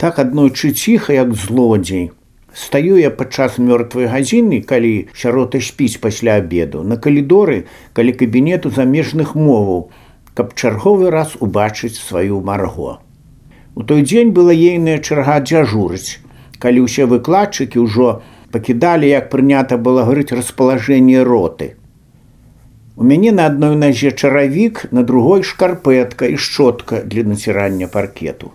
Так аднойчы ціха, як злодзей. Стаю я падчас мёртвай гадзіны, калі сярота спіць пасля абеду, на калідоры, каля кабінету замежных моваў, каб чарговы раз убачыць сваю Марго. У той дзень была ейная чарга дзяжурыць, калі ўсе выкладчыкі ўжо пакідалі, як прынята было гаварыць, распалажэнне роты. У мяне на адной назе чаравік, на другой шкарпэтка і шчотка для націрання паркету.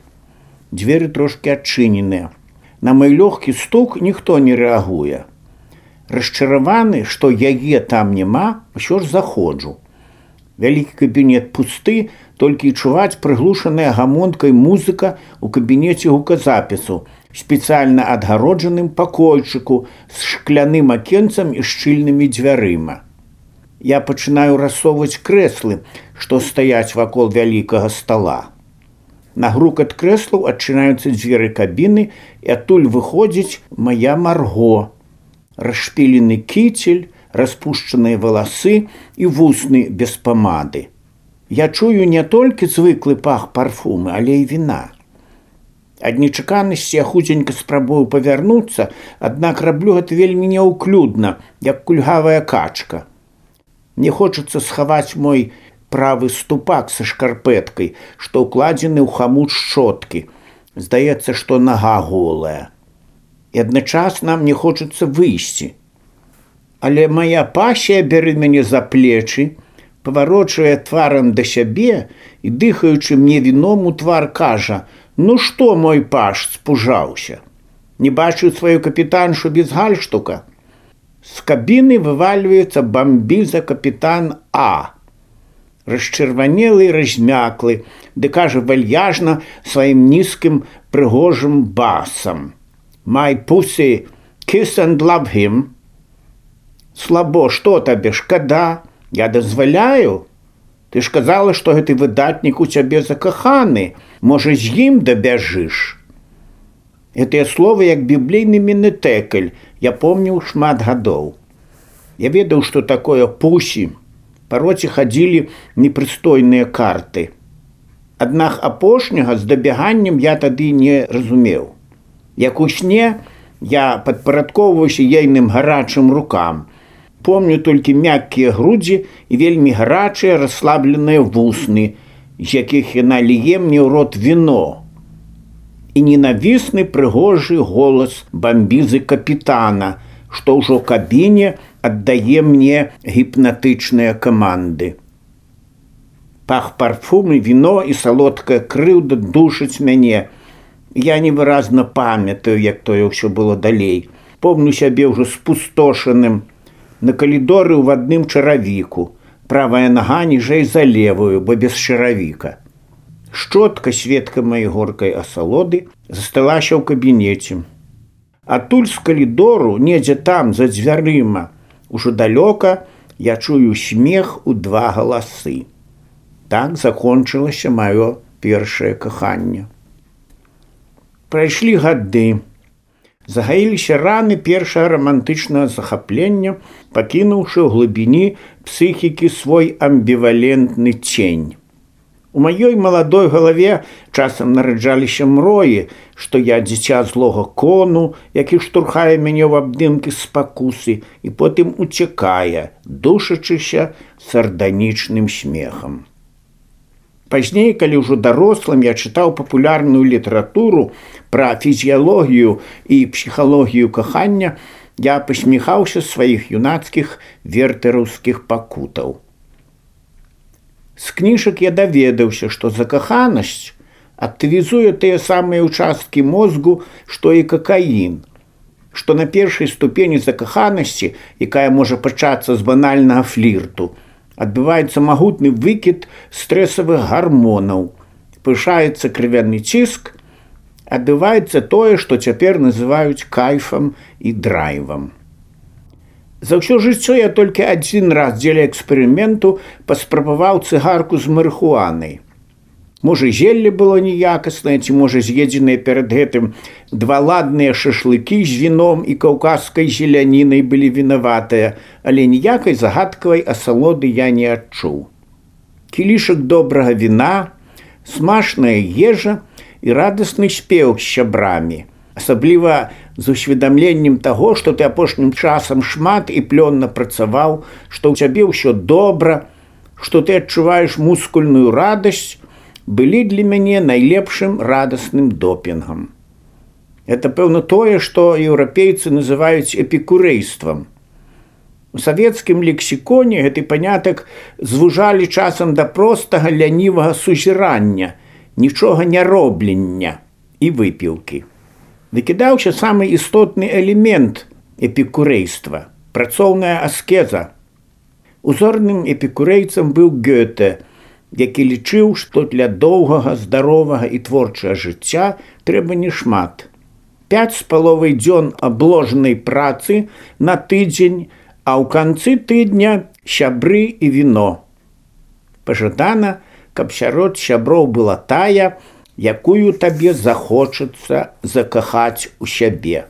Дзверы трошкі адчыненыя. На мой лёгкі стук ніхто не рэагуе. Расчараваны, што яе там няма, усё ж заходжу. Вялікі кабінет пусты, толькі чуваць прыглушаная гамонкай музыка ў кабінеце гуказапісу, спецыяльна адгароджаным пакойчыку з шкляным акенцам і шчыльнымі дзвярыма. Я пачынаю рассоўваць крэслы, што стаяць вакол вялікага стала. На грукат крэслаў адчынаюцца дзверы кабіны, і адтуль выходзіць мая Марго. Расшпілены кіцель, распушчаныя валасы і вусны без памады. Я чую не толькі звыклы пах парфумы, але і віна. Ад нечаканасці я хутенька спрабую павярнуцца, аднак раблю гэта вельмі няўклюдна, як кульгавая качка. Мне хочацца схаваць мой правы ступак са шкарпэткай, што ўкладзены ў хамут шчоткі. Здаецца, што нага голая. І адначасна мне хочацца выйсці. Але моя пасія бярэ мяне за плечы, паварочвае тварам да сябе і, дыхаючы мне віном у твар, кажа: «Ну што, мой паш, спужаўся? Не бачыў сваю капітаншу без гальштука?» З кабіны вывальваецца бамбіза капітан А. Расчырванелы і размяклы, ды кажа вальяжна сваім нізкім прыгожым басам: «My pussy, kiss and love him». Слабо, што табе, шкада? Я дазваляю? Ты ж казала, што гэты выдатнік у цябе закаханы. Можа, з ім дабяжыш? Гэтыя словы як біблейны менетэкаль, я помніў шмат гадоў. Я ведаў, што такое пусі. Па роце хадзілі непрыстойныя карты. Аднак апошняга з дабяганнем я тады не разумеў. Як у сне я падпарадкоўваўся ейным гарачым рукам. Помню толькі мяккія грудзі і вельмі гарачыя расслабленыя вусны, з якіх яна ліе мне ў рот віно. І ненавісны прыгожы голас бамбізы капітана, што ўжо ў кабіне аддае мне гіпнатычныя каманды. Пах парфумы, віно і салодкая крыўда душаць мяне. Я невыразна памятаю, як тое ўсё было далей. Помню сябе ўжо спустошаным. На калідоры ў адным чаравіку. Правая нага ніжэй за левую, бо без чаравіка. Шчотка, сведка маёй горкай асалоды, засталася ў кабінеце. Адтуль з калідору, недзе там, за дзвярыма, ужо далёка я чую смех у два галасы. Так закончылася маё першае каханне. Прайшлі гады. Загаіліся раны першага рамантычнага захаплення, пакінуўшы ў глыбіні псіхікі свой амбівалентны цень. У маёй маладой галаве часам нараджаліся мроі, што я дзіця злога кону, які штурхае мяне ў абдымкі спакусы і потым уцякае, душачыся сарданічным смехам. Пазней, калі ўжо дарослым, я чытаў папулярную літаратуру пра фізіялогію і псіхалогію кахання, я пасміхаўся сваіх юнацкіх вертэраўскіх пакутаў. З кніжак я даведаўся, што закаханасць актывізуе тыя самыя ўчасткі мозгу, што і какаін, што на першай ступені закаханасці, якая можа пачацца з банальнага флірту, адбываецца магутны выкід стрэсавых гармонаў, павышаецца крывяны ціск, адбываецца тое, што цяпер называюць кайфам і драйвам. За ўсё жыццё я толькі адзін раз дзеля эксперыменту паспрабаваў цыгарку з марыхуанай. Можа, зелле было неякаснае, ці можа, з'едзеныя перад гэтым два ладныя шашлыкі з віном і каўказскай зелянінай былі вінаватыя, але ніякай загадкавай асалоды я не адчуў. Кілішак добрага віна, смачная ежа і радасны спеў з сябрамі. Асабліва з усведамленнем таго, што ты апошнім часам шмат і плённа працаваў, што ў цябе ўсё добра, што ты адчуваеш мускульную радасць, былі для мяне найлепшым радасным допінгам. Это, пэўна, тое, што еўрапейцы называюць эпікурэйствам. У савецкім лексіконе гэты панятак звужалі часам да простага лянівага сузірання, нічога не роблення і выпіўкі. Выкідаўся самы істотны элемент эпікурэйства – працоўная аскеза. Узорным эпікурэйцам быў Гёте, які лічыў, што для доўгага, здаровага і творчага жыцця трэба не шмат. 5,5 дзён абложанай працы на тыдзень, а ў канцы тыдня сябры і віно. Пажадана, каб сярод сяброў была тая, якую табе захочацца закахаць у сябе.